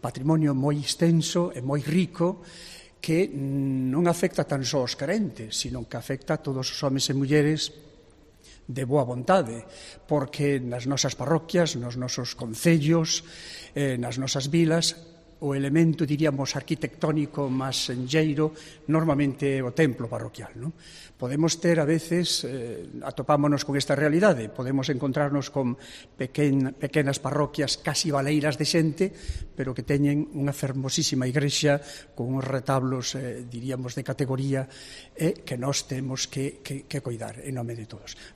patrimonio moi extenso e moi rico que non afecta tan só aos carentes, sino que afecta a todos os homes e mulleres de boa vontade, porque nas nosas parroquias, nos nosos concellos, nas nosas vilas, o elemento, diríamos, arquitectónico máis senlleiro normalmente é o templo parroquial, non? Podemos ter, a veces, atopámonos con esta realidade, podemos encontrarnos con pequenas parroquias casi baleiras de xente, pero que teñen unha fermosísima igrexa con uns retablos, diríamos, de categoría, que nós temos que coidar en nome de todos.